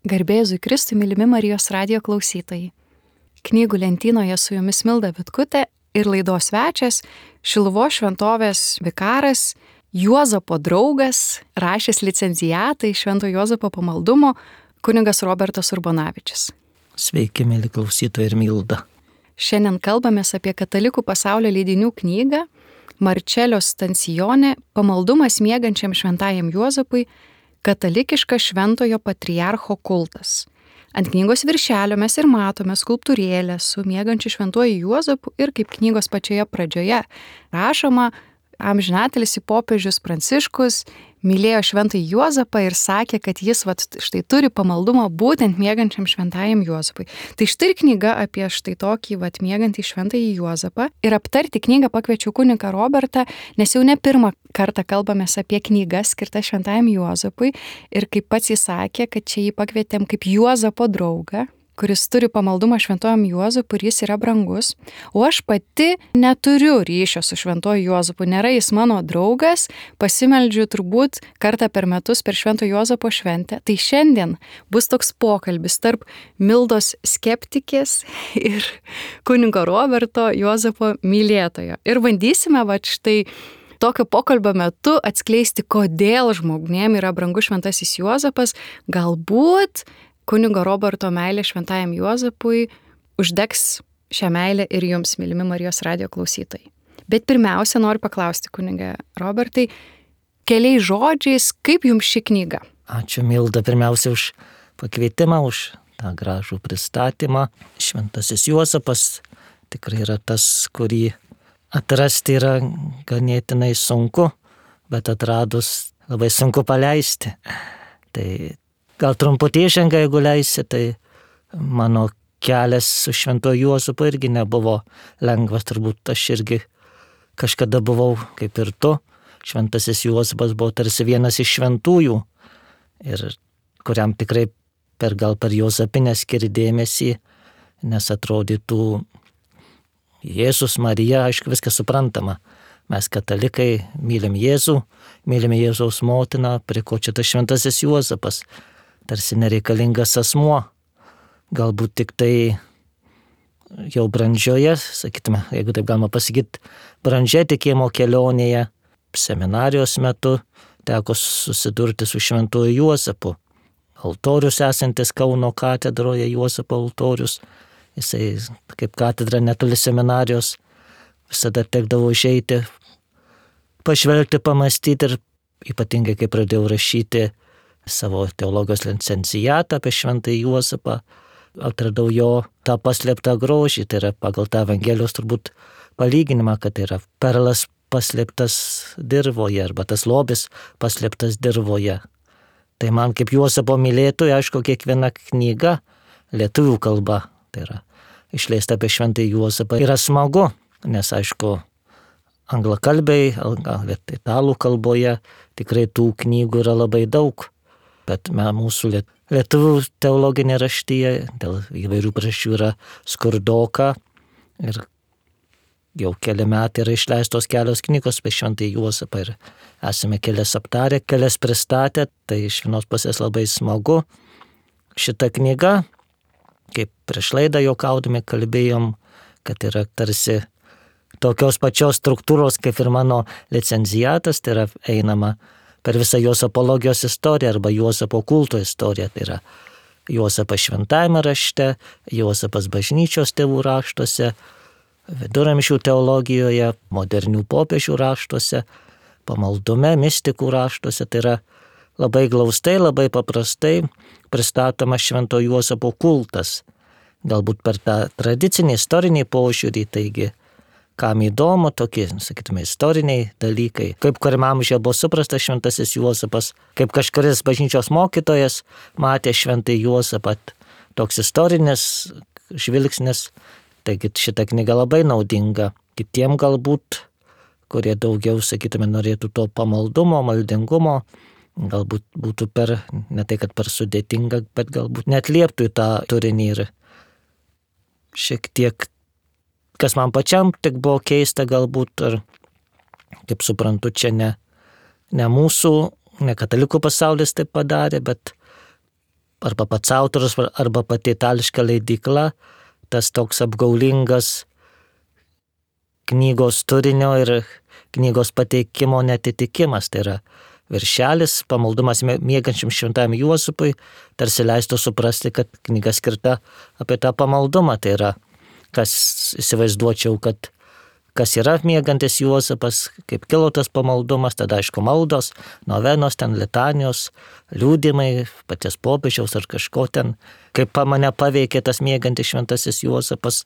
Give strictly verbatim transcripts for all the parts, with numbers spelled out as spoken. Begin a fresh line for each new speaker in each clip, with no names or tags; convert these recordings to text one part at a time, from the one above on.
Garbė Jėzui Kristui, mylimi Marijos radijo klausytojai. Knygų lentynoje su jumis Milda Vitkutė ir laidos svečias, Šiluvos šventovės vikaras, Juozapo draugas, rašęs licencijatą iš Švento Juozapo pamaldumo, kunigas Robertas Urbonavičius.
Sveiki, mėly klausytojai ir Milda.
Šiandien kalbamės apie katalikų pasaulio leidinių knygą Marčelio Stancione Pamaldumas miegančiam šventajam Juozapui, katalikiškas šventojo patriarcho kultas. Ant knygos viršelio mes ir matome skulptūrėlę su miegančiu šventuoju Juozapu ir kaip knygos pačioje pradžioje rašoma, amžinatelis popiežius Pranciškus mylėjo šventąjį Juozapą ir sakė, kad jis vat, štai turi pamaldumą būtent miegančiam šventajam Juozapui. Tai štai knyga apie štai tokį vat, miegantį šventąjį Juozapą. Ir aptarti knygą pakviečiau kunigą Robertą, nes jau ne pirmą kartą kalbamės apie knygą skirtą šventajam Juozapui. Ir kaip pats jis sakė, kad čia jį pakvietėm kaip Juozapo draugą, kuris turi pamaldumą šventojam Juozapui ir jis yra brangus. O aš pati neturiu ryšio su šventoju Juozapu, nėra jis mano draugas, pasimeldžiu turbūt kartą per metus per švento Juozapo šventę. Tai šiandien bus toks pokalbis tarp Mildos skeptikės ir kunigo Roberto Juozapo mylėtojo. Ir bandysime va štai tokio pokalbio metu atskleisti, kodėl žmonėm yra brangus šventasis Juozapas, galbūt kunigo Roberto meilė šventajam Juozapui uždegs šią meilę ir jums, mylimi Marijos radijo klausytojai. Bet pirmiausia, noriu paklausti kunigą Robertai, keliais žodžiais, kaip jums ši knyga?
Ačiū, Milda, pirmiausia už pakvietimą, už tą gražų pristatymą. Šventasis Juozapas tikrai yra tas, kurį atrasti yra ganėtinai sunku, bet atradus labai sunku paleisti. Tai gal trumputį įžanga, jeigu leisi, tai mano kelias su šventuoju Juozapu irgi nebuvo lengvas, turbūt aš irgi kažkada buvau kaip ir tu. Šventasis Juozapas buvo tarsi vienas iš šventųjų ir kuriam tikrai per gal per Juozapinę skiri dėmesį, nes atrodytų Jėzus, Marija, aišku, viskas suprantama. Mes katalikai mylim Jėzų, mylim Jėzaus motiną, prie ko čia tas šventasis Juozapas. Tarsi nereikalingas asmuo, galbūt tik tai jau brandžioje, sakytume, jeigu taip galima pasakyti, brandžia tikėjimo kelionėje, seminarijos metu teko susidurti su šventuoju Juozapu. Altorius esantis Kauno katedroje, Juozapo altorius, jisai kaip katedra netoli seminarijos, visada tekdavo išeiti, pažvelgti, pamastyti ir ypatingai kai pradėjau rašyti savo teologijos licencijatą apie šventąjį Juozapą, atradau jo tą paslėptą grožį, tai yra pagal tą Evangelijos turbūt palyginimą, kad tai yra perlas paslėptas dirvoje arba tas lobis paslėptas dirvoje. Tai man kaip Juozapo mylėtojui, aišku, kiekviena knyga lietuvių kalba, tai yra išleista apie šventąjį Juozapą, yra smagu, nes aišku, anglakalbiai, italų kalboje tikrai tų knygų yra labai daug. Bet mūsų lietuvių teologinė raštyje dėl įvairių priežasčių yra skurdoka ir jau keli metai yra išleistos kelios knygos apie šventąjį Juozapą ir esame kelias aptarę, kelias pristatę, tai iš vienos pusės labai smagu. Šita knyga, kaip prieš laidą juokaudami kalbėjom, kad yra tarsi tokios pačios struktūros kaip ir mano licencijatas, tai yra einama per visą Juozapologijos istoriją arba Juozapo kulto istoriją. Tai yra Juozapas šventajame rašte, Juozapas bažnyčios tėvų raštuose, viduramžių teologijoje, modernių popiežių raštuose, pamaldume, mistikų raštuose. Tai yra labai glaustai, labai paprastai pristatomas švento Juozapo kultas. Galbūt per tą tradicinį istorinį požiūrį, taigi kam įdomu, tokie, sakytume, istoriniai dalykai, kaip kuriam amžiuje buvo suprastas šventasis Juozapas, kaip kažkuris bažnyčios mokytojas matė šventąjį Juozapą, toks istorinis žvilgsnis, taigi šita knyga labai naudinga kitiem galbūt, kurie daugiau, sakytume, norėtų to pamaldumo, maldingumo, galbūt būtų per, ne tai kad per sudėtinga, bet galbūt netlieptų į tą turinį ir šiek tiek kas man pačiam tik buvo keista galbūt, ar kaip suprantu, čia ne, ne mūsų, ne katalikų pasaulis taip padarė, bet arba pats autorius, arba pati itališka leidykla, tas toks apgaulingas knygos turinio ir knygos pateikimo netitikimas. Tai yra viršelis pamaldumas miegančiam šventajam Juozapui, tarsi leistų suprasti, kad knyga skirta apie tą pamaldumą. Tai yra, kas įsivaizduočiau, kad kas yra miegantis Juozapas, kaip kilo tas pamaldumas, tada aišku maldos, novenos, ten litanijos, liūdimai, paties popiežiaus ar kažko ten, kaip mane paveikė tas miegantis šventasis Juozapas.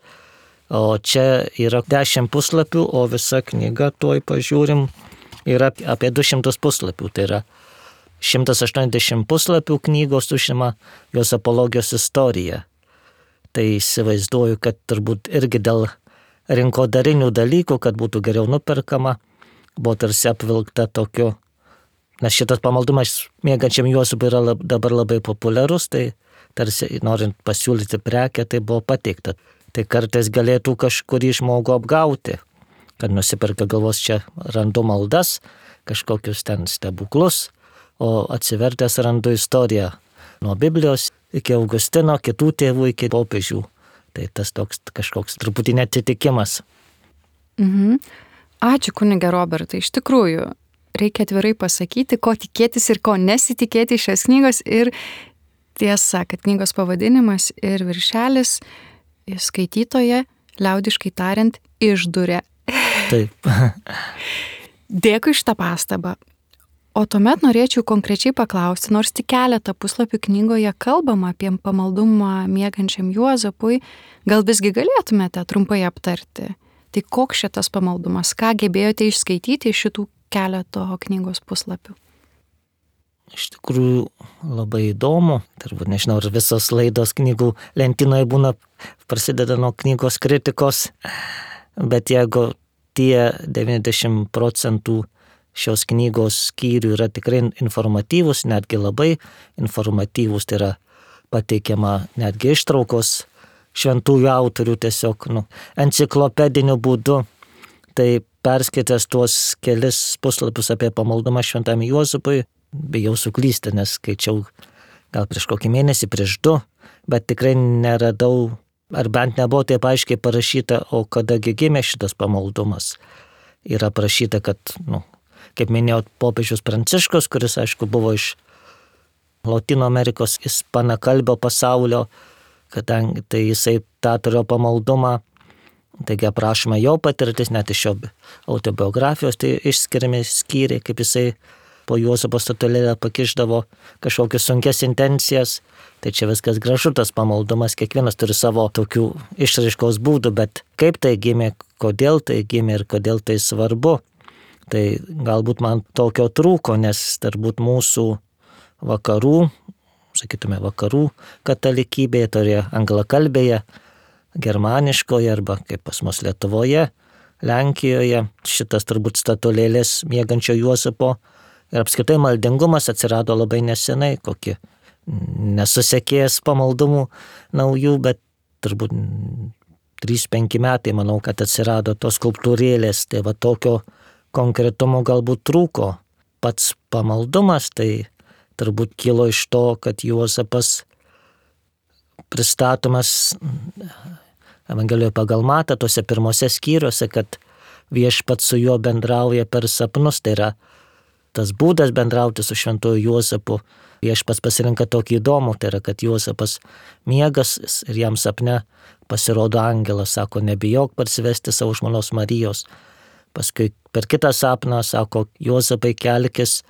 O čia yra dešimt puslapių, o visa knyga, tuoj pažiūrim, yra apie du šimtus puslapių. Tai yra šimtas aštuoniasdešimt puslapių knygos užima jos apologijos istorija. Tai įsivaizduoju, kad turbūt irgi dėl rinkodarinių dalykų, kad būtų geriau nuperkama, buvo tarsi apvilkta tokiu, nes šitas pamaldumas miegančiam Juozapui yra lab, dabar labai populiarus, tai tarsi norint pasiūlyti prekę, tai buvo pateikta. Tai kartais galėtų kažkurį žmogų apgauti, kad nusiperka galvos čia randu maldas, kažkokius ten stebuklus, o atsivertęs randu istoriją nuo Biblijos iki Augustino, kitų tėvų iki popiežių. Tai tas toks kažkoks truputį netitikimas.
Mhm. Ačiū kunige Robertai. Iš tikrųjų, reikia atvirai pasakyti, ko tikėtis ir ko nesitikėti iš šios knygos. Ir tiesa, kad knygos pavadinimas ir viršelis skaitytoje, liaudiškai tariant, išduria.
Taip.
Dėkui šitą pastabą. O tuomet norėčiau konkrečiai paklausti, nors tik keletą puslapių knygoje kalbama apie pamaldumą miegančiam Juozapui, gal visgi galėtumėte trumpai aptarti? Tai koks šitas pamaldumas, ką gebėjote išskaityti iš šitų keleto knygos puslapių?
Iš tikrųjų labai įdomu, turbūt nežinau, ar visos laidos knygų lentynoje būna, prasideda nuo knygos kritikos, bet jeigu tie devyniasdešimt procentų šios knygos skyrių yra tikrai informatyvus, netgi labai informatyvus, tai yra pateikiama netgi ištraukos šventųjų autorių tiesiog nu, enciklopediniu būdu. Tai perskaitęs tuos kelis puslapius apie pamaldumą šventam Juozapui, bijau suklysti, nes skaičiau gal prieš kokį mėnesį, prieš du, bet tikrai neradau, ar bent nebuvo taip aiškiai parašyta, o kadagi gimė šitas pamaldumas. Yra parašyta, kad, nu, kaip minėjau, popiežius Pranciškus, kuris, aišku, buvo iš Lotynų Amerikos ispanakalbio pasaulio, kadangi tai jisai tą turėjo pamaldumą, taigi aprašoma jo patirtis, net iš jo autobiografijos, tai išskiriami skyriai, kaip jisai po Juozapo statulėlę pakišdavo kažkokias sunkes intencijas. Tai čia viskas gražu, tas pamaldumas, kiekvienas turi savo tokių išraiškos būdų, bet kaip tai gimė, kodėl tai gimė ir kodėl tai svarbu, tai galbūt man tokio trūko, nes turbūt mūsų vakarų, sakytume vakarų katalikybėje, toje anglakalbėje, germaniškoje arba kaip pas mus Lietuvoje, Lenkijoje, šitas turbūt statulėlės miegančio Juozapo ir apskritai maldingumas atsirado labai nesenai, kokį nesusekėjęs pamaldumų naujų, bet turbūt trys penki metai, manau, kad atsirado tos skulptūrėlės, tai va tokio konkretumo galbūt trūko. Pats pamaldumas tai turbūt kilo iš to, kad Juozapas pristatomas Evangelijoje pagal Matą, tose pirmose skyriuose, kad viešpats su juo bendrauja per sapnus, tai yra tas būdas bendrauti su šventuoju Juozapu. Viešpats pasirinka tokį įdomų, tai yra, kad Juozapas miegas ir jam sapne pasirodo angelas, sako, nebijok parsivesti savo žmonos Marijos. Paskui per kitą sapną sako, Juozapai kelkis,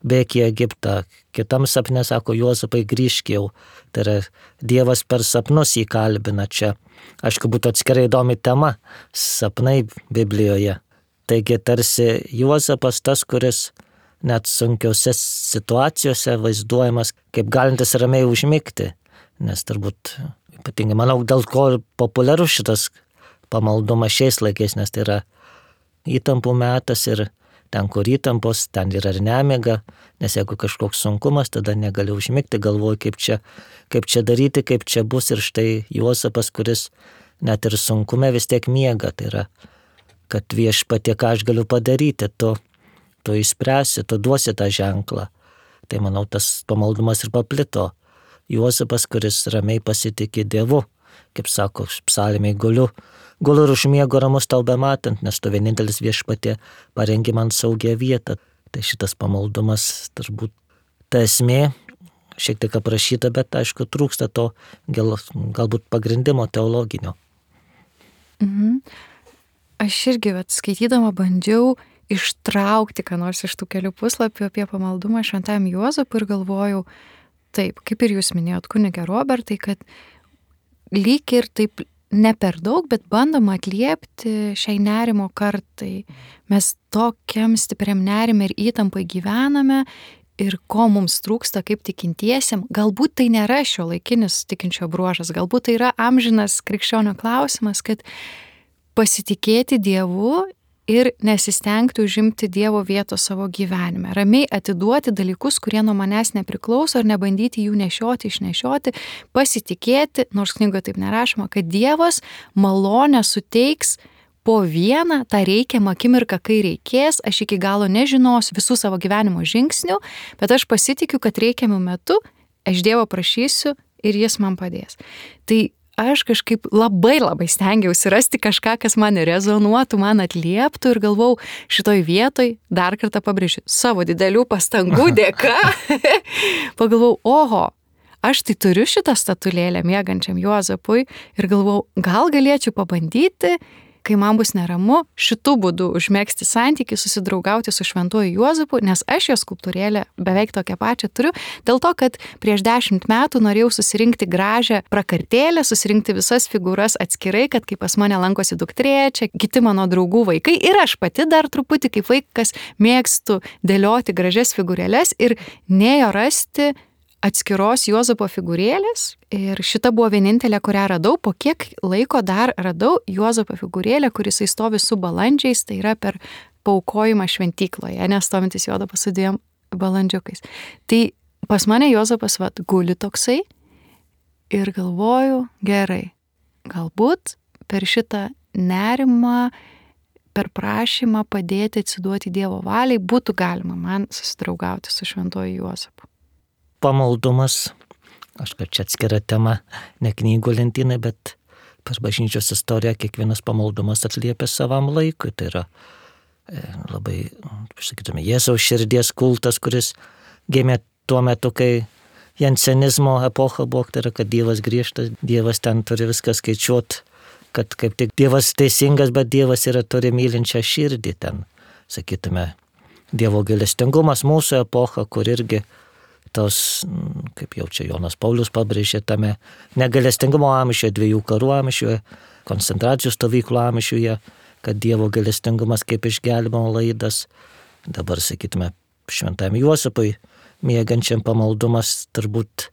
bėk į Egiptą. Kitam sapne sako, Juozapai grįžk jau. Tai yra Dievas per sapnus jį kalbina čia. Aišku, būtų atskirai įdomi tema sapnai Biblijoje. Taigi tarsi Juozapas tas, kuris net sunkiose situacijose vaizduojamas kaip galintis ramiai užmigti. Nes turbūt, ypatingai, manau, dėl ko populiarus šitas pamaldumas šiais laikais, nes tai yra įtampų metas ir ten, kur įtampos, ten yra ir nemiga, nes jeigu kažkoks sunkumas, tada negali užmigti, galvoju, kaip čia, kaip čia daryti, kaip čia bus. Ir štai Juozapas, kuris net ir sunkume vis tiek miega, tai yra, kad viešpatie, ką aš galiu padaryti, tu, tu išspręsi, tu duosi tą ženklą. Tai manau, tas pamaldumas ir paplito Juozapas, kuris ramiai pasitikė Dievu, kaip sako psalmėj, guliu, guliu ir užmiegu ramus tau bematant, nes tu vienintelis Viešpatie parengi man saugią vietą. Tai šitas pamaldumas turbūt ta esmė, šiek tiek aprašyta, bet aišku trūksta to gal, galbūt pagrindimo teologinio.
Mhm. Aš irgi, vat, skaitydama bandžiau ištraukti, ką nors iš tų kelių puslapių apie pamaldumą šventajam Juozapui ir galvojau, taip, kaip ir jūs minėjot, kunige Robertai, kad lyg ir taip ne per daug, bet bandom atliepti šiai nerimo kartai. Mes tokiam stipriam nerime ir įtampai gyvename ir ko mums trūksta kaip tikintiesiam. Galbūt tai nėra šio laikinis tikinčio bruožas, galbūt tai yra amžinas krikščionio klausimas, kad pasitikėti Dievu ir nesistengti užimti Dievo vietos savo gyvenime. Ramiai atiduoti dalykus, kurie nuo manęs nepriklauso ir nebandyti jų nešioti, išnešioti, pasitikėti, nors knygoje taip nerašoma, kad Dievas malonę suteiks po vieną tą reikiamą akimirką, kai reikės. Aš iki galo nežinosiu visų savo gyvenimo žingsnių, bet aš pasitikiu, kad reikiamų metu aš Dievo prašysiu ir Jis man padės. Tai aš kažkaip labai labai stengiausi rasti kažką, kas man rezonuotų, man atlieptų ir galvau, šitoj vietoj, dar kartą pabrėžiu, savo didelių pastangų dėka, pagalvau, oho, aš tai turiu šitą statulėlę miegančiam Juozapui ir galvau, gal galėčiau pabandyti, kai man bus neramu, šitų būdų užmegzti santykį, susidraugauti su šventuoju Juozapu, nes aš jo skulptūrėlę beveik tokią pačią turiu, dėl to, kad prieš dešimt metų norėjau susirinkti gražią prakartėlę, susirinkti visas figūras atskirai, kad kai pas mane lankosi dukterėčia, kiti mano draugų vaikai ir aš pati dar truputį kaip vaikas mėgstu dėlioti gražias figūrėlės ir nėjo rasti atskiros Juozapo figūrėlės ir šita buvo vienintelė, kurią radau. Po kiek laiko dar radau Juozapo figūrėlę, kuris stovi su balandžiais, tai yra per paaukojimą šventykloje, nestovintis Juozapas su dviem balandžiukais. Tai pas mane Juozapas vat, guli toksai ir galvoju, gerai, galbūt per šitą nerimą, per prašymą padėti atsiduoti Dievo valiai būtų galima man susidraugauti su šventuoju Juozapu.
Pamaldumas, aš kad čia atskira tema, ne knygų lentynai, bet per bažnyčios istoriją kiekvienas pamaldumas atliepia savam laikui. Tai yra e, labai, sakytume, Jėzaus širdies kultas, kuris gimė tuo metu, kai jansenizmo epocha buvo, tai yra, kad Dievas griežtas, Dievas ten turi viską skaičiuoti, kad kaip tik Dievas teisingas, bet Dievas yra turi mylinčią širdį ten, sakytume, Dievo gailestingumas mūsų epocha, kur irgi tos, kaip jau čia Jonas Paulius pabrėžė, tame negailestingumo amžiuje, dviejų karų amžiuje, koncentracijos stovyklų amžiuje, kad Dievo gailestingumas kaip išgelbimo laidas. Dabar, sakytume, šventam Juozapui miegančiam pamaldumas turbūt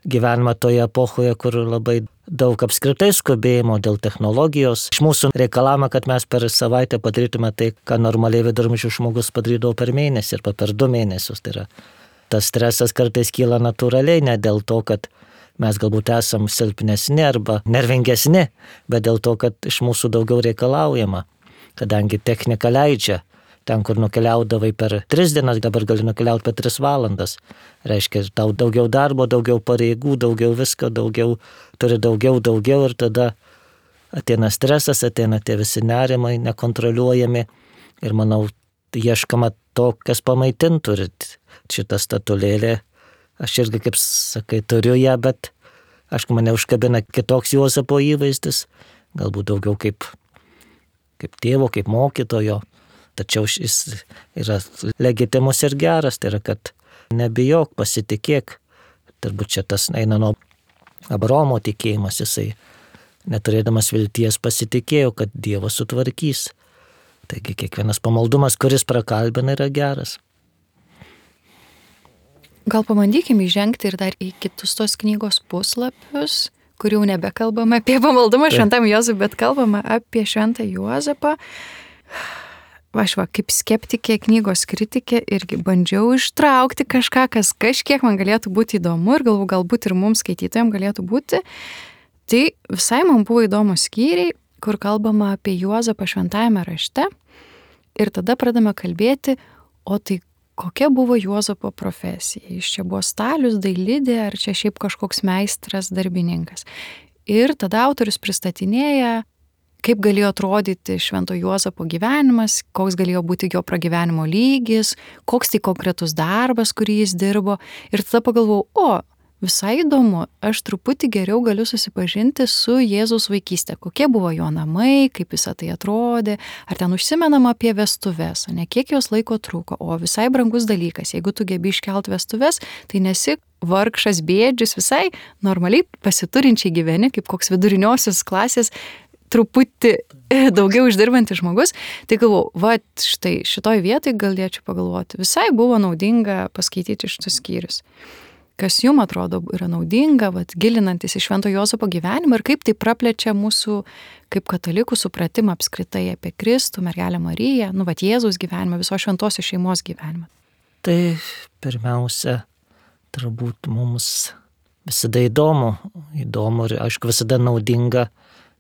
gyvenimą toje epochoje, kur labai daug apskritai skubėjimo dėl technologijos. Iš mūsų reikalama, kad mes per savaitę padarytume tai, ką normaliai viduramžių žmogus padarydavo per mėnesį arba per du mėnesius. Tai yra tas stresas kartais kyla natūraliai, ne dėl to, kad mes galbūt esam silpnesni arba nervingesni, bet dėl to, kad iš mūsų daugiau reikalaujama, kadangi technika leidžia. Ten, kur nukeliaudavai per tris dienas, dabar gali nukeliauti per tris valandas. Reiškia, tau daugiau darbo, daugiau pareigų, daugiau visko, daugiau, turi daugiau, daugiau ir tada ateina stresas, ateina tie visi nerimai, nekontroliuojami ir manau, ieškama to, kas pamaitintų ir šitą statulėlę. Aš irgi, kaip sakai, turiu ją, bet aišku, mane užkabina kitoks Juozapo įvaizdis, galbūt daugiau kaip, kaip tėvo, kaip mokytojo, tačiau jis yra legitimus ir geras, tai yra, kad nebijok, pasitikėk. Turbūt čia tas eina nuo Abraomo tikėjimas, jisai neturėdamas vilties pasitikėjo, kad Dievas sutvarkys. Taigi kiekvienas pamaldumas, kuris prakalbina, yra geras.
Gal pabandykime įžengti ir dar į kitus tos knygos puslapius, kur jau nebekalbame apie pamaldumą šventam Juozapui, bet kalbame apie šventą Juozapą. Aš va, kaip skeptikė, knygos kritikė, irgi bandžiau ištraukti kažką, kas kažkiek man galėtų būti įdomu ir galvoju, galbūt ir mums skaitytojams galėtų būti. Tai visai man buvo įdomus skyriai, kur kalbama apie Juozapą šventajame rašte ir tada pradame kalbėti, o tai kokia buvo Juozapo profesija. Jis čia buvo stalius, dailidė, ar čia šiaip kažkoks meistras, darbininkas. Ir tada autorius pristatinėja, kaip galėjo atrodyti Švento Juozapo gyvenimas, koks galėjo būti jo pragyvenimo lygis, koks tai konkretus darbas, kurį jis dirbo. Ir tada pagalvojau, o, visai įdomu, aš truputį geriau galiu susipažinti su Jėzaus vaikystė. Kokie buvo jo namai, kaip visą tai atrodė, ar ten užsimenama apie vestuves, o ne kiek jos laiko truko. O visai brangus dalykas, jeigu tu gebi iškelt vestuves, tai nesi vargšas bėdžius, visai normaliai pasiturinčiai gyveni, kaip koks viduriniosios klasės, truputį daugiau uždirbantis žmogus. Tai galvoju, va, štai šitoj vietoj galėčiau pagalvoti, visai buvo naudinga paskaityti šitus skyrius. Kas jums atrodo yra naudinga, vat, gilinantis į Švento Juozapo gyvenimą ir kaip tai praplečia mūsų kaip katalikų supratimą apskritai apie Kristų, mergelę Mariją, nu, vat, Jėzaus gyvenimą, visos šventosios šeimos gyvenimą.
Tai pirmiausia, turbūt mums visada įdomu, įdomu ir aišku visada naudinga,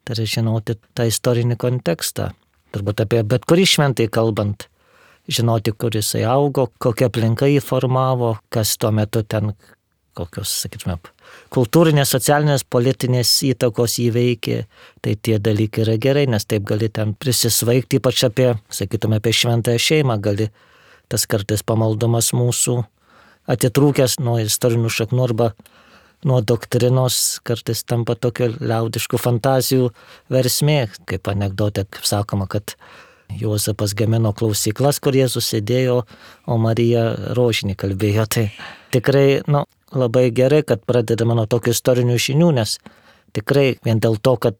tai yra žinoti tą istorinį kontekstą. Turbūt apie bet kurį šventai kalbant, žinoti, kur jisai augo, kokia aplinka jį formavo, kas tuo metu ten kokios, sakytume, kultūrinės, socialinės, politinės įtakos įveikė, tai tie dalykai yra gerai, nes taip gali ten prisisvaigti, ypač apie, sakytume, apie šventąją šeimą, gali tas kartais pamaldumas mūsų atitrūkęs nuo istorinių šaknų arba nuo doktrinos, kartais tampa tokio liaudiškų fantazijų versmė, kaip anekdotė, kaip sakoma, kad Juozapas gamino klausyklas, kur Jėzus sėdėjo, o Marija rožinį kalbėjo. Tai tikrai, nu, labai gerai, kad pradedame nuo tokių istorinių žinių, nes tikrai vien dėl to, kad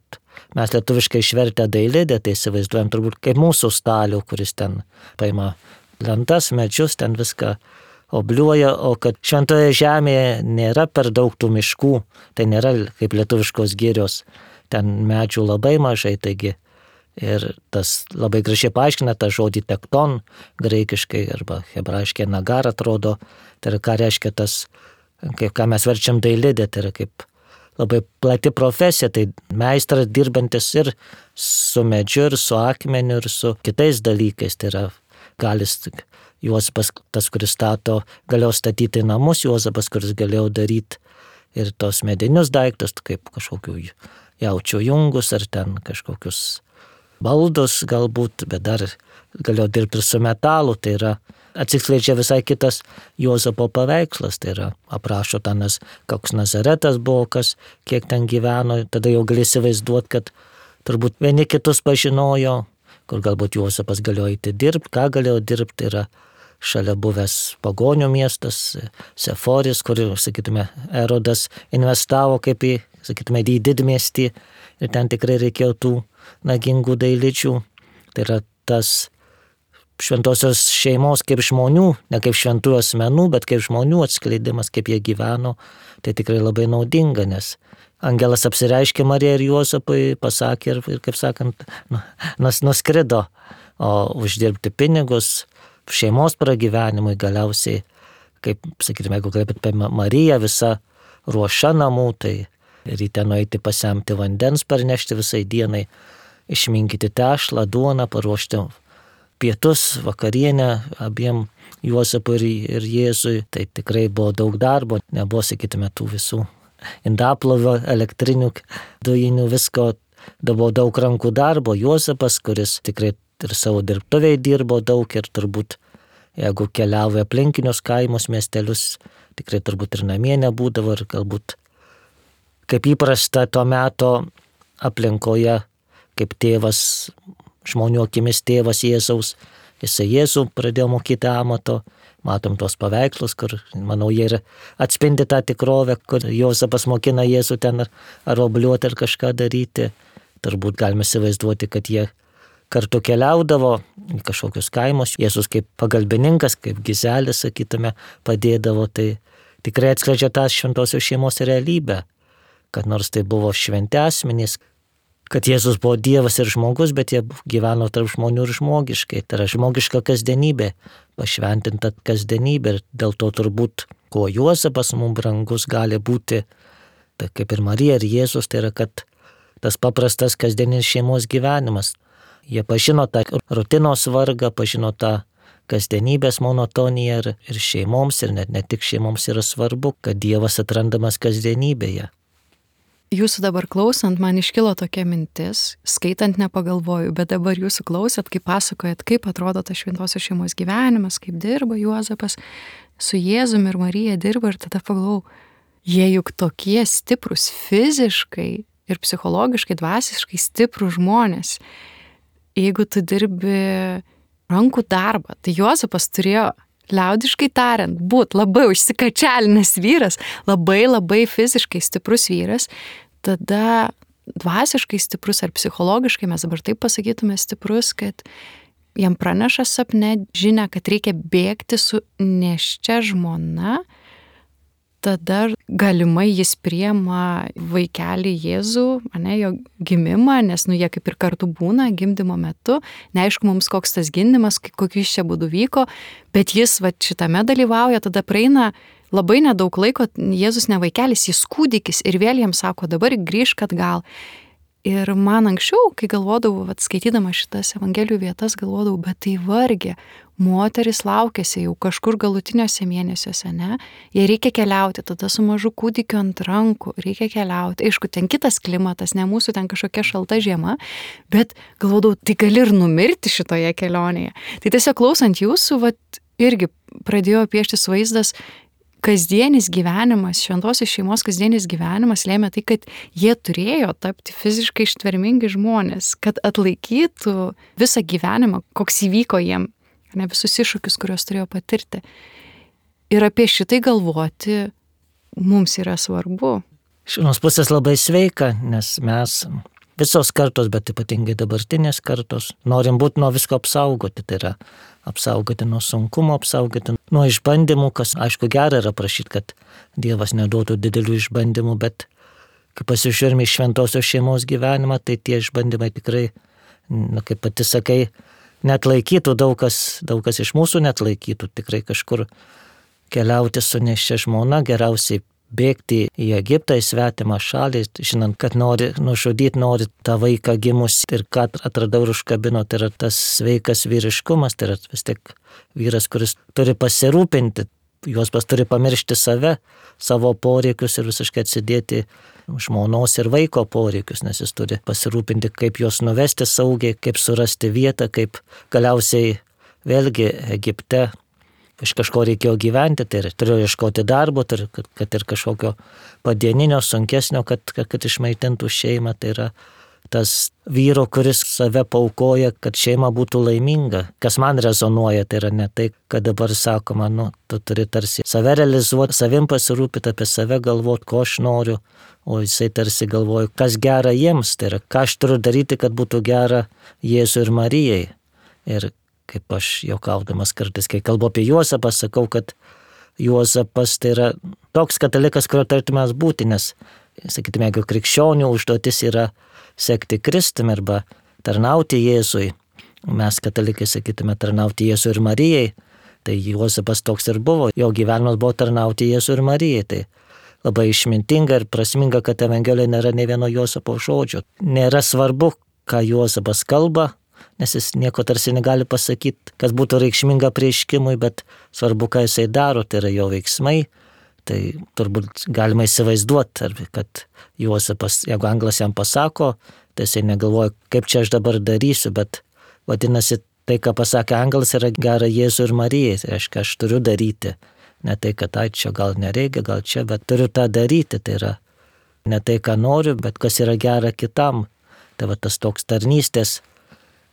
mes lietuviškai išvertę dailidę, tai įsivaizduojam turbūt kaip mūsų stalių, kuris ten paima lentas, medžius, ten viską obliuoja, o kad šventoje žemėje nėra per daug tų miškų, tai nėra kaip lietuviškos girios, ten medžių labai mažai, taigi ir tas labai gražiai paaiškina tą žodį tekton, graikiškai arba hebrajiškai nagar atrodo, tai yra ką reiškia tas, kaip ką mes verčiam dailidė, tai yra kaip labai plati profesija, tai meistras dirbantis ir su medžiu, ir su akmeniu, ir su kitais dalykais, tai yra galis Juozapas, tas, kuris stato, galėjo statyti namus, Juozapas, kuris galėjo daryti ir tos medinius daiktus, kaip kažkokių jaučių jungus, ar ten kažkokius baldus galbūt, bet dar galėjo dirbti ir su metalu, tai yra atsiskleidžia visai kitas Juozapo paveikslas, tai yra aprašo tanas, koks Nazaretas buvo, kas, kiek ten gyveno, tada jau gali įsivaizduoti, kad turbūt vieni kitus pažinojo, kur galbūt Juozapas galėjo eiti dirbti, ką galėjo dirbti, tai yra šalia buvęs pagonių miestas, Seforis, kur, sakytume, Erodas investavo kaip į, sakytume, į didmiestį ir ten tikrai reikėjo tų nagingų dailidžių. Tai yra tas šventosios šeimos kaip žmonių, ne kaip šventųjų asmenų, bet kaip žmonių atskleidimas, kaip jie gyveno, tai tikrai labai naudinga, nes angelas apsireiškė Marijai ir Juozapui, pasakė ir, ir kaip sakant, nus, nuskrido, o uždirbti pinigus šeimos pragyvenimui galiausiai, kaip, sakytume, jeigu kalbėt apie Mariją, visa ruoša namų, tai ryte nueiti pasemti vandens, parnešti visai dienai, išminkyti tešlą, duoną, paruošti pietus, vakarienę abiem Juozapui ir, ir Jėzui, tai tikrai buvo daug darbo, nebuvo, sakytume, tų visų indaplovio, elektrinių, dujinių, visko, buvo daug rankų darbo. Juozapas, kuris tikrai ir savo dirbtuviai dirbo daug ir turbūt, jeigu keliavo aplinkinius kaimus, miestelius, tikrai turbūt ir namie nebūdavo ir galbūt kaip įprasta to meto aplinkoje, kaip tėvas, žmonių akimis tėvas Jėzaus, jisai Jėzų pradėjo mokyti amato, matom tos paveikslus, kur, manau, jie ir atspindi tą tikrovę, kur Juozapas mokina Jėzų ten ar, ar obliuoti ar kažką daryti. Turbūt galime įsivaizduoti, kad jie kartu keliaudavo į kažkokius kaimus, Jėzus kaip pagalbininkas, kaip gizelis, sakytume, padėdavo, tai tikrai atskleidžia tą šventosios šeimos realybę, kad nors tai buvo šventi asmenys, kad Jėzus buvo Dievas ir žmogus, bet jie gyveno tarp žmonių ir žmogiškai, tai yra žmogiška kasdienybė, pašventinta kasdienybė ir dėl to turbūt, kuo Juozapas mums brangus gali būti, tai kaip ir Marija ir Jėzus, tai yra, kad tas paprastas kasdienis šeimos gyvenimas. Jie pažino tą rutinos vargą, pažino tą kasdienybės monotonija ir, ir šeimoms, ir net ne tik šeimoms yra svarbu, kad Dievas atrandamas kasdienybėje.
Jūsų dabar klausant, man iškilo tokia mintis, skaitant nepagalvoju, bet dabar jūsų klausat, kaip pasakojat, kaip atrodo tas šventosios šeimos gyvenimas, kaip dirba Juozapas su Jėzumi ir Marija dirba, ir tada pagalvojau, jie juk tokie stiprus fiziškai ir psichologiškai, dvasiškai stiprus žmonės. Jeigu tu dirbi rankų darbą, tai Juozapas turėjo, liaudiškai tariant, būt labai užsikačialinęs vyras, labai labai fiziškai stiprus vyras, tada dvasiškai stiprus ar psichologiškai, mes dabar taip pasakytume, stiprus, kad jam praneša sapne žinia, kad reikia bėgti su nėščia žmona, tada galimai jis priema vaikelį Jėzų, ane, jo gimimą, nes nu jie kaip ir kartu būna gimdymo metu, neaišku mums koks tas gimdymas, kokius čia būdų vyko, bet jis va šitame dalyvauja, tada praeina labai nedaug laiko, Jėzus ne vaikelis, jis kūdikis ir vėl jam sako, dabar grįžk atgal. Ir man anksčiau, kai galvodavau, vat, skaitydama šitas evangelijų vietas, galvodavau, bet tai vargė, moteris laukėsi jau kažkur galutiniuose mėnesiuose, ne? Jie reikia keliauti, tada su mažu kūdikiu ant rankų, reikia keliauti. Aišku, ten kitas klimatas, ne mūsų ten kažkokia šalta žiema, bet galvodavau, tai gali ir numirti šitoje kelionėje. Tai tiesiog klausant jūsų, vat, irgi pradėjo pieštis vaizdas, kasdienis gyvenimas, šventosios šeimos kasdienis gyvenimas lėmė tai, kad jie turėjo tapti fiziškai ištvermingi žmonės, kad atlaikytų visą gyvenimą, koks įvyko jiem, ne visus iššūkius, kuriuos turėjo patirti. Ir apie šitai galvoti mums yra svarbu.
Iš vienos pusės labai sveika, nes mes visos kartos, bet ypatingai dabartinės kartos, norim būti nuo visko apsaugoti, tai yra apsaugoti nuo sunkumo, apsaugoti nuo išbandymų, kas aišku gera yra prašyti, kad Dievas neduotų didelių išbandymų, bet kai pasižiūrime į šventosios šeimos gyvenimą, tai tie išbandymai tikrai, na, kaip pati sakai, neatlaikytų, daug kas, daug kas iš mūsų neatlaikytų, tikrai kažkur keliauti su nėščia žmona, geriausiai bėgti į Egiptą, į svetimą šalį, žinant, kad nori nužudyti, nori tą vaiką gimus ir ką atradau ir užkabino, tai yra tas sveikas vyriškumas, tai yra vis tik vyras, kuris turi pasirūpinti, Juozapas turi pamiršti save, savo poreikius ir visiškai atsidėti žmonos ir vaiko poreikius, nes jis turi pasirūpinti, kaip juos nuvesti saugiai, kaip surasti vietą, kaip galiausiai vėlgi Egipte iš kažko reikėjo gyventi, tai turėjo ieškoti darbo, tai, kad, kad ir kažkokio padieninio, sunkesnio, kad, kad, kad išmaitintų šeimą. Tai yra tas vyro, kuris save paukoja, kad šeima būtų laiminga. Kas man rezonuoja, tai yra ne tai, kad dabar sakoma, nu, tu turi tarsi save realizuoti, savim pasirūpyti, apie save galvoti, ko aš noriu, o jisai tarsi galvoja, kas gera jiems, tai yra, ką aš turiu daryti, kad būtų gera Jėzui ir Marijai. Ir kaip aš juokaudamas kartais, kai kalbu apie Juozapą, sakau, kad Juozapas tai yra toks katalikas, kurio tartumės būti, nes, sakytume, jeigu krikščionių užduotis yra sekti Kristumi arba tarnauti Jėzui, mes katalikai sakytume tarnauti Jėzui ir Marijai, tai Juozapas toks ir buvo, jo gyvenimas buvo tarnauti Jėzui ir Marijai, tai labai išmintinga ir prasminga, kad Evangelijoje nėra ne vieno Juozapo žodžio. Nėra svarbu, ką Juozapas kalba, nes jis nieko tarsi negali pasakyti, kas būtų reikšminga prieškimui, bet svarbu, ką jisai daro, tai yra jo veiksmai. Tai turbūt galima įsivaizduoti, kad Juozapas, jeigu anglas jam pasako, tai jisai negalvoja, kaip čia aš dabar darysiu, bet vadinasi, tai, ką pasakė anglas, yra gera Jėzui ir Marijai, tai reiškia, aš turiu daryti. Ne tai, kad ai, čia gal nereikia, gal čia, bet turiu tą daryti, tai yra ne tai, ką noriu, bet kas yra gera kitam. Tai va tas toks tarnystės,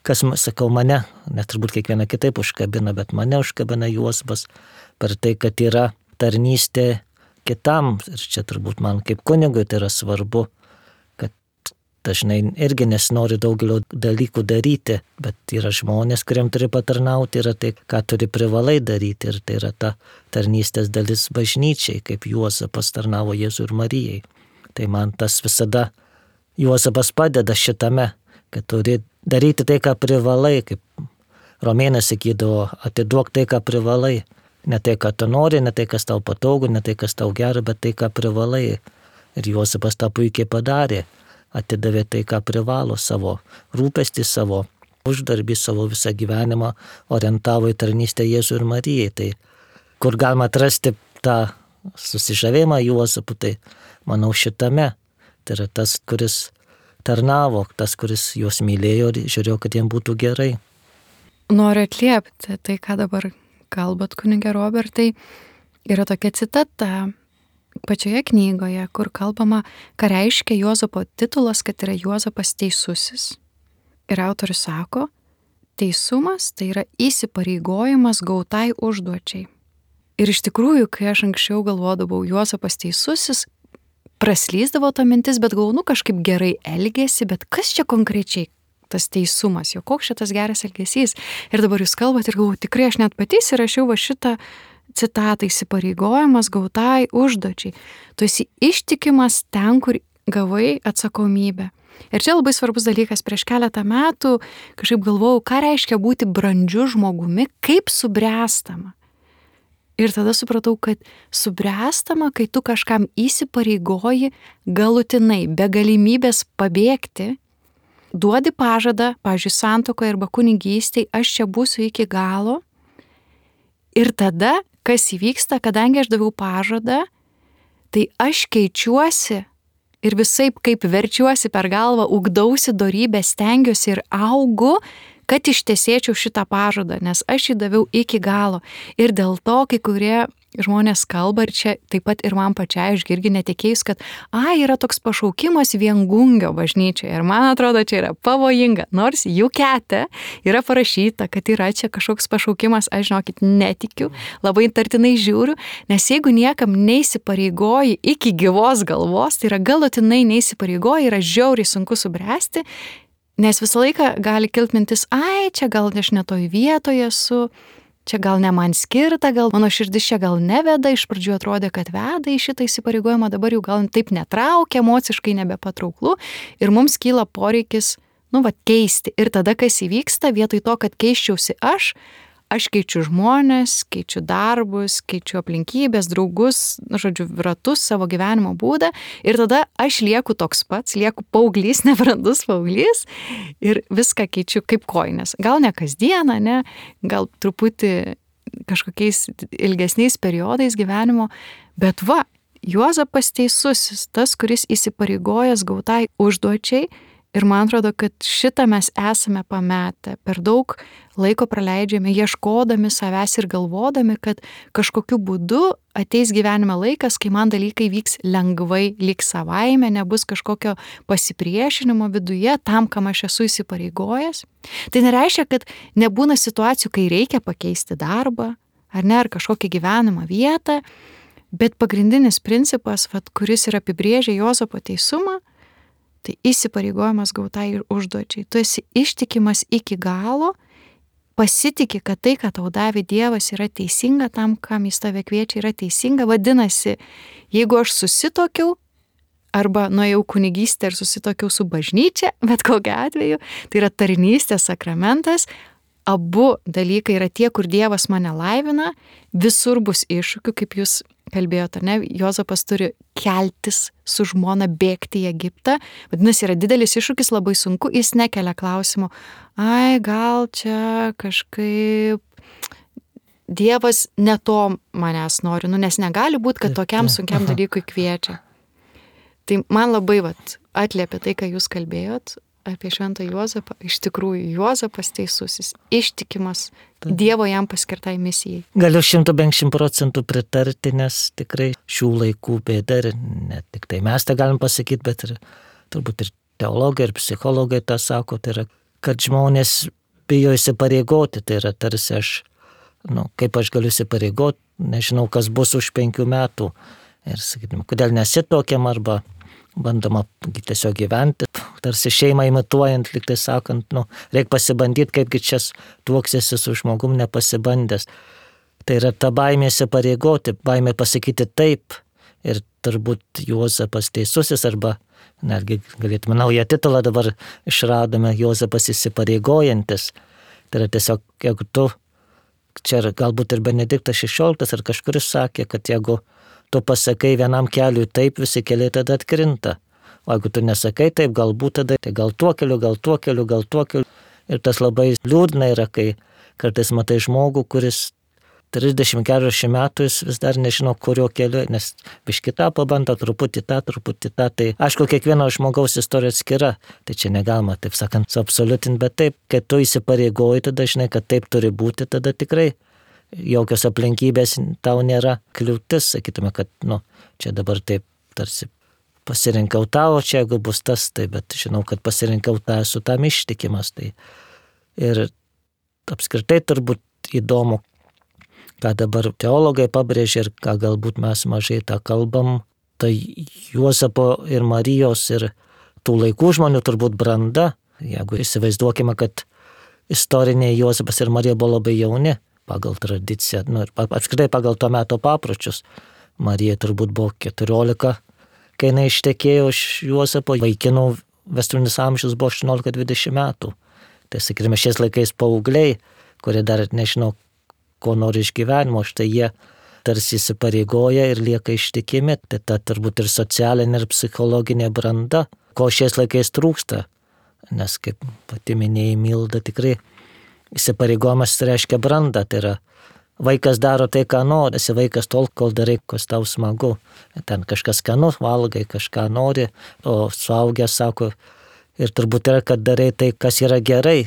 kas, sakau, mane, net turbūt kiekviena kitaip užkabina, bet mane užkabina Juozapas per tai, kad yra tarnystė kitam. Ir čia turbūt man kaip kunigui tai yra svarbu, kad dažnai irgi nesinori daugelio dalykų daryti, bet yra žmonės, kuriem turi patarnauti, yra tai, ką turi privalai daryti. Ir tai yra ta tarnystės dalis bažnyčiai, kaip Juozapas tarnavo Jėzui ir Marijai. Tai man tas visada Juozapas padeda šitame, kad turi daryti tai, ką privalai, kaip Romėnas sakydavo, atiduok tai, ką privalai. Ne tai, ką tu nori, ne tai, kas tau patogu, ne tai, kas tau gera, bet tai, ką privalai. Ir Juozapas tą puikiai padarė. Atidavė tai, ką privalo, savo rūpestį, savo uždarbį, savo visą gyvenimą orientavo į tarnystę Jėzui ir Marijai. Tai kur galima atrasti tą susižavėjimą Juozapu, tai manau šitame. Tai yra tas, kuris tarnavo, tas, kuris juos mylėjo ir žiūrėjo, kad jiems būtų gerai.
Noriu atliepti tai, ką dabar kalbat, kunige Robertai. Yra tokia citata pačioje knygoje, kur kalbama, ką reiškia Juozapo titulas, kad yra Juozapas teisusis. Ir autorius sako, teisumas tai yra įsipareigojimas gautai užduočiai. Ir iš tikrųjų, kai aš anksčiau galvodavau, Juozapas teisusis, praslysdavo ta mintis, bet galvoju, nu kažkaip gerai elgėsi, bet kas čia konkrečiai tas teisumas, jo koks šitas geras elgesys. Ir dabar jūs kalbat ir galvoju, tikrai aš net patys įrašiau va šitą citatą, įsipareigojimas gautai užduočiai. Tu esi ištikimas ten, kur gavai atsakomybę. Ir čia labai svarbus dalykas, prieš keletą metų kažkaip galvojau, ką reiškia būti brandžiu žmogumi, kaip subręstama. Ir tada supratau, kad subręstama, kai tu kažkam įsipareigoji galutinai, be galimybės pabėgti, duodi pažadą, pavyzdžiui, santuokoje arba kunigystėje, aš čia būsiu iki galo. Ir tada, kas įvyksta, kadangi aš daviau pažadą, tai aš keičiuosi ir visaip kaip verčiuosi per galvą, ugdausi dorybę, stengiuosi ir augu, kad ištesėčiau šitą pažadą, nes aš jį daviau iki galo. Ir dėl to, kai kurie žmonės kalba, ir čia taip pat ir man pačiai, aš irgi netikėjus, kad a, yra toks pašaukimas Viengungio bažnyčioje. Ir man atrodo, čia yra pavojinga. Nors jų kete yra parašyta, kad yra čia kažkoks pašaukimas, aš žinokit, netikiu, labai tartinai žiūriu, nes jeigu niekam neįsipareigoji iki gyvos galvos, tai yra galutinai neįsipareigoji, yra žiauriai sunku subręsti, nes visą laiką gali kilti mintis, ai, čia gal aš ne toj vietoje esu, čia gal ne man skirta, gal mano širdis čia gal neveda, iš pradžių atrodė, kad veda į šitą įsipareigojimą, dabar jau gal taip netraukia, emociškai nebepatrauklu ir mums kyla poreikis, nu, va, keisti. Ir tada, kas įvyksta, vietoj to, kad keiščiausi aš, aš keičiu žmonės, keičiu darbus, keičiu aplinkybės, draugus, nu, žodžiu, ratus, savo gyvenimo būdą ir tada aš lieku toks pats, lieku paauglys, nebrandus paauglys ir viską keičiu kaip kojines. Gal ne kasdieną, ne, gal truputį kažkokiais ilgesniais periodais gyvenimo, bet va, Juozapas teisusis, tas, kuris įsipareigojęs gautai užduočiai. Ir man atrodo, kad šitą mes esame pametę. Per daug laiko praleidžiame ieškodami savęs ir galvodami, kad kažkokiu būdu ateis gyvenime laikas, kai man dalykai vyks lengvai, lyg savaime, nebus kažkokio pasipriešinimo viduje tam, kam aš esu įsipareigojęs. Tai nereiškia, kad nebūna situacijų, kai reikia pakeisti darbą, ar ne, ar kažkokią gyvenamą vietą, bet pagrindinis principas, vat, kuris ir apibrėžia Juozapo teisumą, tai įsipareigojimas gautai ir užduočiai. Tu esi ištikimas iki galo, pasitiki, kad tai, ką tau davė Dievas, yra teisinga, tam, kam jis tave kviečia, yra teisinga. Vadinasi, jeigu aš susitokiau, arba nuėjau kunigystę ir susitokiau su bažnyčia, bet kokiu atveju, tai yra tarnystės sakramentas, abu dalykai yra tie, kur Dievas mane laivina, visur bus iššūkių, kaip jūs kalbėjote, ar ne? Juozapas turi keltis su žmona, bėgti į Egiptą. Vadinasi, yra didelis iššūkis, labai sunku, jis nekelia klausimų. Ai, gal čia kažkaip Dievas ne to manęs nori, nu, nes negali būti, kad tokiam sunkiam dalykui kviečia. Tai man labai vat, atliepia tai, ką jūs kalbėjot apie šventą Juozapą. Iš tikrųjų, Juozapas teisusis, ištikimas Dievo jam paskirtai misijai.
Galiu šimtu penkšim procentų pritarti, nes tikrai šių laikų bėda ir ne tik tai mes tą galim pasakyti, bet ir turbūt ir teologai, ir psichologai tą sako, tai yra, kad žmonės bijo įsipareigoti, tai yra tarsi aš, nu, kaip aš galiu įsipareigoti, nežinau, kas bus už penkių metų. Ir sakytum, kodėl nesitokiam arba bandoma tiesiog gyventi, tarsi šeimą imituojant, lyg tai sakant, nu, reikia pasibandyti, kaipgi čia tuoksiesi su žmogum nepasibandęs. Tai yra ta baimė įsipareigoti, baimė pasakyti taip. Ir turbūt Juozapas teisusis, arba netgi galėtume naują titulą dabar išradome, Juozapas įsipareigojantis. Tai yra tiesiog, jeigu tu, čia galbūt ir Benediktas šešioliktas ar kažkuris sakė, kad jeigu tu pasakai vienam keliui taip, visi keliai tada atkrinta. O jeigu tu nesakai taip, galbūt tada, tai gal tuo keliu, gal tuo keliu, gal tuo keliu. Ir tas labai liūdna yra, kai kartais matai žmogų, kuris trisdešimt keturiasdešimt metų jis vis dar nežino, kurio keliu, nes biškį tą pabando, truputį tą, truputį tą. Tai aišku, kiekvieno žmogaus istorija atskira, tai čia negalima, taip sakant, suabsoliutinti, bet taip, kai tu įsipareigoji, tada žinai, kad taip turi būti, tada tikrai jokios aplinkybės tau nėra kliūtis, sakytume, kad, nu, čia dabar taip tarsi pasirinkau tau, čia jeigu bus tas, tai, bet žinau, kad pasirinkau tą, esu tam ištikimas. Tai. Ir apskritai turbūt įdomu, ką dabar teologai pabrėžia ir ką galbūt mes mažai tą kalbam, tai Juozapo ir Marijos ir tų laikų žmonių turbūt branda, jeigu įsivaizduokime, kad istoriniai Juozapas ir Marija buvo labai jauni pagal tradiciją, nu, ir apskritai pagal to meto papročius. Marija turbūt buvo keturiolika, kai jinai ištekėjo iš Juozapo, vaikinų vestuvinis amžius buvo aštuoniolika dvidešimt metų. Tai sakykime, šiais laikais paaugliai, kurie dar nežino, ko nori iš gyvenimo, štai jie tarsi įsipareigoja ir lieka ištikimi. Tai ta turbūt ir socialinė ir psichologinė branda, ko šiais laikais trūksta. Nes kaip pati minėjai Milda, tikrai įsipareigojimas reiškia brandą, tai yra vaikas daro tai, ką nori, esi vaikas tol, kol darai, kas tau smagu. Ten kažkas skanu, valgai, kažką nori, o suaugęs sako, ir turbūt yra, kad darai tai, kas yra gerai,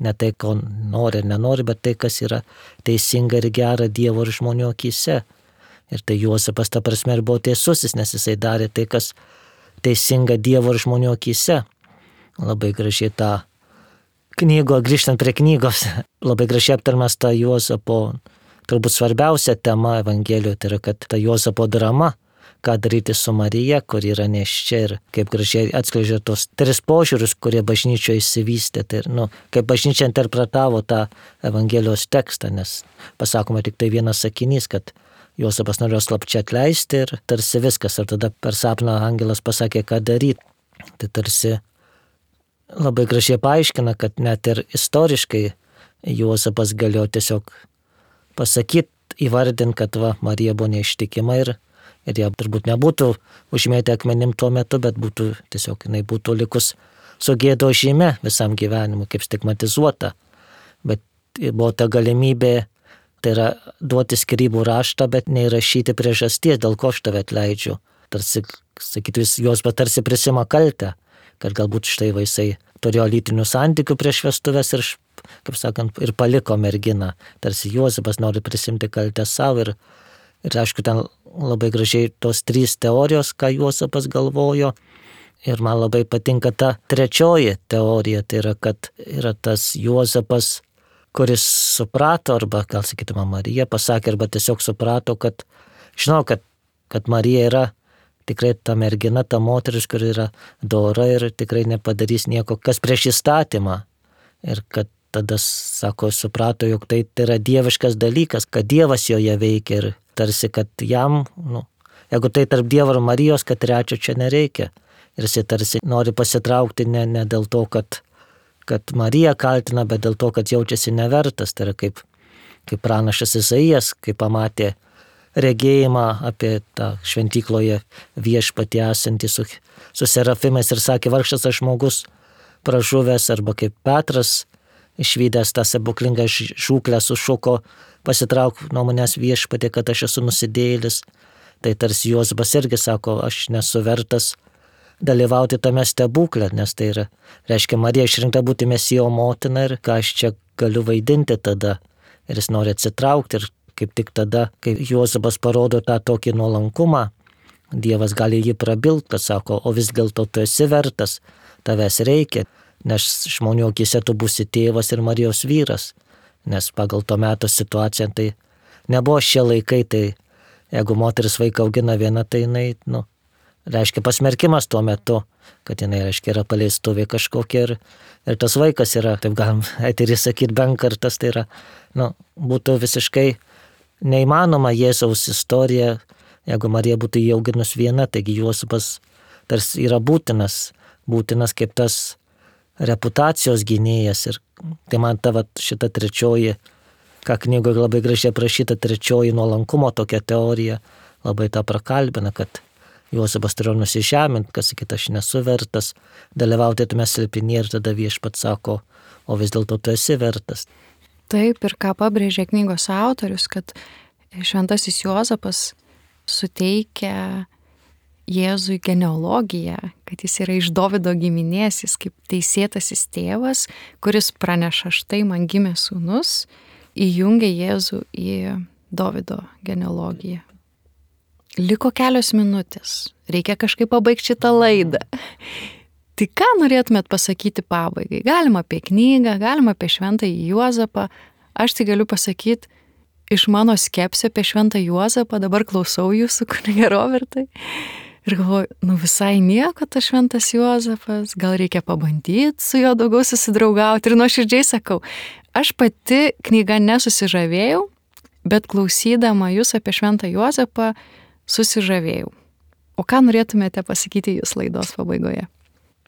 ne tai, ko nori ir nenori, bet tai, kas yra teisinga ir gera Dievo ir žmonių akyse. Ir tai Juozapas ta prasme ir buvo teisusis, nes jisai darė tai, kas teisinga Dievo ir žmonių akyse. Labai gražiai tą knygo, grįžtant prie knygos, labai gražiai aptarmas tą Juozapo turbūt svarbiausia tema Evangelijoje, tai yra, kad ta Juozapo drama, ką daryti su Marija, kur yra nėščia ir kaip gražiai atskleidžia tos tris požiūrius, kurie bažnyčioje įsivystė. Tai, nu, kaip bažnyčia interpretavo tą Evangelijos tekstą, nes pasakoma tik tai vienas sakinys, kad Juozapas norėjo slapčia atleisti ir tarsi viskas, ir tada per sapną angelas pasakė, ką daryti. Tai tarsi labai gražiai paaiškina, kad net ir istoriškai Juozapas galėjo tiesiog pasakyti, įvardinti, kad va, Marija buvo neištikima ir, ir jie turbūt nebūtų užmėtę akmenim tuo metu, bet būtų tiesiog jinai būtų likus su gėdo žyme visam gyvenimui, kaip stigmatizuota. Bet buvo ta galimybė, tai yra duoti skyrybų raštą, bet neįrašyti priežasties, dėl ko aš tave atleidžiu. Tarsi, sakytų, jos bet tarsi prisima kaltę, kad galbūt štai vaisai turėjo lytinių santykių prieš vestuves ir, kaip sakant, ir paliko merginą. Tarsi Juozapas nori prisimti kaltę savo ir, ir aišku, ten labai gražiai tos trys teorijos, ką Juozapas galvojo. Ir man labai patinka ta trečioji teorija, tai yra, kad yra tas Juozapas, kuris suprato, arba gal sakytume Marija pasakė, arba tiesiog suprato, kad žinau, kad, kad Marija yra tikrai ta mergina, ta moteris, kuri yra dora ir tikrai nepadarys nieko, kas prieš įstatymą. Ir kad tada, sako, suprato, jog tai, tai yra dieviškas dalykas, kad Dievas joje veikia ir tarsi, kad jam, nu, jeigu tai tarp Dievo ir Marijos, kad trečio čia nereikia. Ir jis tarsi nori pasitraukti ne, ne dėl to, kad, kad Marija kaltina, bet dėl to, kad jaučiasi nevertas. Tai yra kaip, kaip pranašas Izaijas, kai pamatė regėjimą apie tą šventykloje viešpatį esantį su, su serafimais ir sakė, vargšas aš žmogus pražuvęs, arba kaip Petras išvydęs tą stebuklingą žūklę sušuko, pasitrauk nuo manęs viešpatį, kad aš esu nusidėjėlis. Tai tarsi Juozapas irgi sako, aš nesu vertas dalyvauti tame stebuklę, nes tai yra, reiškia, Marija išrinkta būti Mesijo motina ir ką aš čia galiu vaidinti tada. Ir jis nori atsitraukti ir kaip tik tada, kai Juozapas parodo tą tokį nuolankumą, Dievas gali jį prabilti, kad sako, o vis dėlto tu esi vertas, tavęs reikia, nes žmonių akyse tu būsi tėvas ir Marijos vyras, nes pagal to meto situaciją tai nebuvo šie laikai, tai jeigu moteris vaiką augina viena, tai jinai, nu, reiškia pasmerkimas tuo metu, kad jinai, reiškia, yra paleistuvė kažkokia ir, ir tas vaikas yra, taip galim eterį sakyti, benkartas, tai yra, nu, būtų visiškai neįmanoma Jėzaus istorija, jeigu Marija būtų jį auginus viena, taigi Juozapas tarsi yra būtinas, būtinas kaip tas reputacijos gynėjas. Ir tai man ta vat, šita trečioji, ką knygoje labai gražiai aprašyta, trečioji nuolankumo tokia teorija, labai tą prakalbina, kad Juozapas turėjo nusižemint, kas sakyt, aš nesu vertas dalyvauti tame slėpinyje ir tada Viešpats sako, o vis dėlto tu esi vertas.
Taip, ir ką pabrėžė knygos autorius, kad šventasis Juozapas suteikia Jėzui genealogiją, kad jis yra iš Dovydo giminės, jis kaip teisėtasis tėvas, kuris praneša, štai man gimė sūnus, įjungia Jėzų į Dovydo genealogiją. Liko kelios minutės, reikia kažkaip pabaigti šitą laidą. Tai ką norėtumėt pasakyti pabaigai? Galima apie knygą, galima apie šventąjį Juozapą. Aš tai galiu pasakyti, iš mano skepsio apie šventą Juozapą, dabar klausau jūsų, kunige Robertai. Ir galvoju, nu visai nieko tas šventas Juozapas, gal reikia pabandyti su juo daugiau susidraugauti. Ir nuoširdžiai sakau, aš pati knygą nesusižavėjau, bet klausydama jūs apie šventą Juozapą susižavėjau. O ką norėtumėte pasakyti jūs laidos pabaigoje?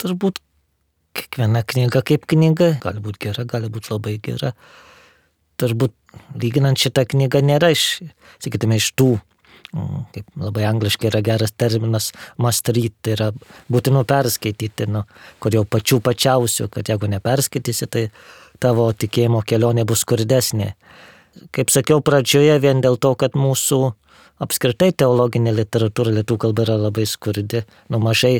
Turbūt kiekviena knyga kaip knyga, gali būti gera, gali būti labai gera. Turbūt lyginant šitą knygą nėra iš, sakytume, iš tų, kaip labai angliškai yra geras terminas, must read, tai yra būtinu perskaityti, nu, kur jau pačių pačiausių, kad jeigu neperskaitysi, tai tavo tikėjimo kelionė bus skurdesnė. Kaip sakiau pradžioje, vien dėl to, kad mūsų apskritai teologinė literatūra lietuvių kalba yra labai skurdi, nu mažai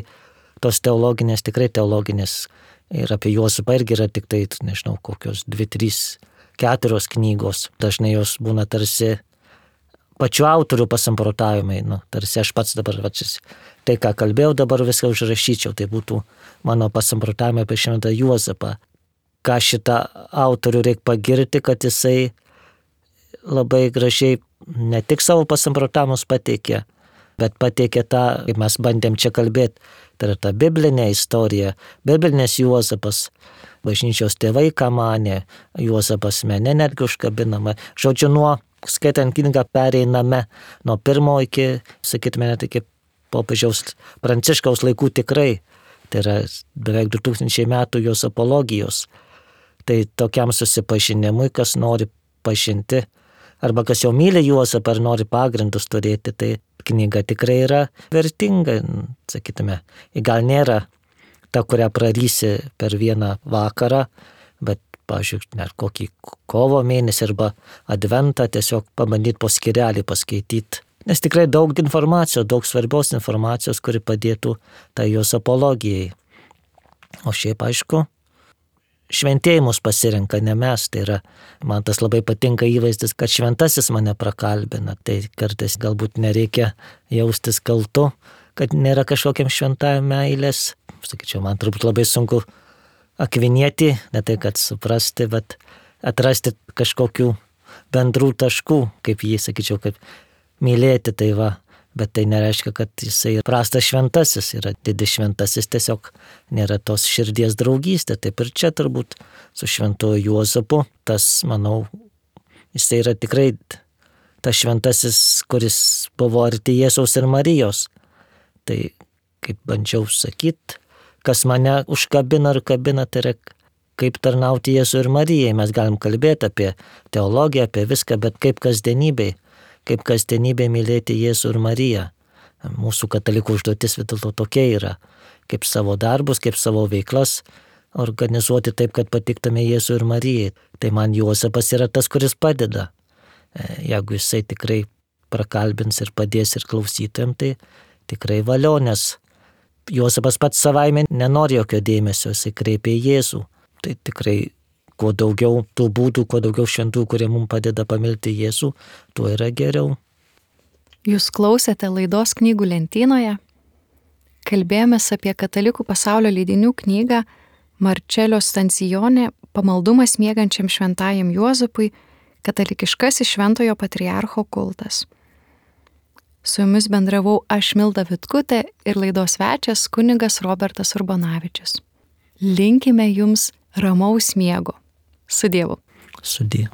tos teologinės, tikrai teologinės, ir apie Juozapą irgi yra tik tai, nežinau, kokios dvi, trys, keturios knygos. Dažnai jos būna tarsi pačių autorių pasamprotavimai, nu, tarsi aš pats dabar, va, tai ką kalbėjau, dabar viską užrašyčiau, tai būtų mano pasamprotavimai apie šventą Juozapą. Ką šitą autorių reikia pagirti, kad jisai labai gražiai ne tik savo pasamprotavimus pateikė, bet pateikė tą, kaip mes bandėm čia kalbėti, tai yra ta biblinė istorija, biblinės Juozapas, bažnyčios tėvai, ką manė, Juozapas mene netgi užkabinama. Žodžiu, nuo skaitant knygą pereiname nuo pirmo iki, sakytume, net iki popiežiaus Pranciškaus laikų tikrai. Tai yra beveik du tūkstančiai metų jos apologijos. Tai tokiam susipažinimui, kas nori pažinti, arba kas jau myli Juozapą ar nori pagrindus turėti, tai knyga tikrai yra vertinga, sakytume. Gal nėra ta, kurią prarysi per vieną vakarą, bet, pavyzdžiui, net kokį kovo mėnesį arba adventą tiesiog pabandyti po skyrelį paskaityti. Nes tikrai daug informacijos, daug svarbios informacijos, kuri padėtų tai jos apologijai. O šiaip, aišku, šventėjimus pasirenka ne mes, tai yra, man tas labai patinka įvaizdis, kad šventasis mane prakalbina, tai kartais galbūt nereikia jaustis kaltu, kad nėra kažkokiam šventajam meilės. Sakyčiau, man turbūt labai sunku akvinieti, ne tai kad suprasti, bet atrasti kažkokių bendrų taškų, kaip jį, sakyčiau, kaip mylėti, tai va. Bet tai nereiškia, kad jisai prastas šventasis, yra didis šventasis, tiesiog nėra tos širdies draugystė. Taip ir čia turbūt su šventuoju Juozapu, tas, manau, jisai yra tikrai tas šventasis, kuris buvo arti Jėzaus ir Marijos. Tai, kaip bandžiau sakyti, kas mane užkabina ir kabina, tai yra kaip tarnauti Jėzui ir Marijai. Mes galim kalbėti apie teologiją, apie viską, bet kaip kasdienybei. Kaip kasdienybė mylėti Jėzų ir Mariją. Mūsų katalikų užduotis vis dėlto tokia yra, kaip savo darbus, kaip savo veiklas organizuoti taip, kad patiktume Jėzų ir Marijai. Tai man Juozapas yra tas, kuris padeda. Jeigu jisai tikrai prakalbins ir padės ir klausytojams, tai tikrai valio, nes Juozapas pats savaime nenori jokio dėmesio, jisai kreipia į Jėzų. Tai tikrai kuo daugiau tų būdų, kuo daugiau šventų, kurie mums padeda pamilti Jėzų, tuo yra geriau.
Jūs klausėte laidos Knygų lentynoje. Kalbėjomės apie katalikų pasaulio leidinių knygą Marčelio Stancijonė Pamaldumas miegančiam šventajam Juozapui, katalikiškasis šventojo patriarcho kultas. Su jumis bendravau aš, Milda Vitkutė, ir laidos svečias kunigas Robertas Urbonavičius. Linkime jums ramaus miego. Su Dievu.
Su Dievu.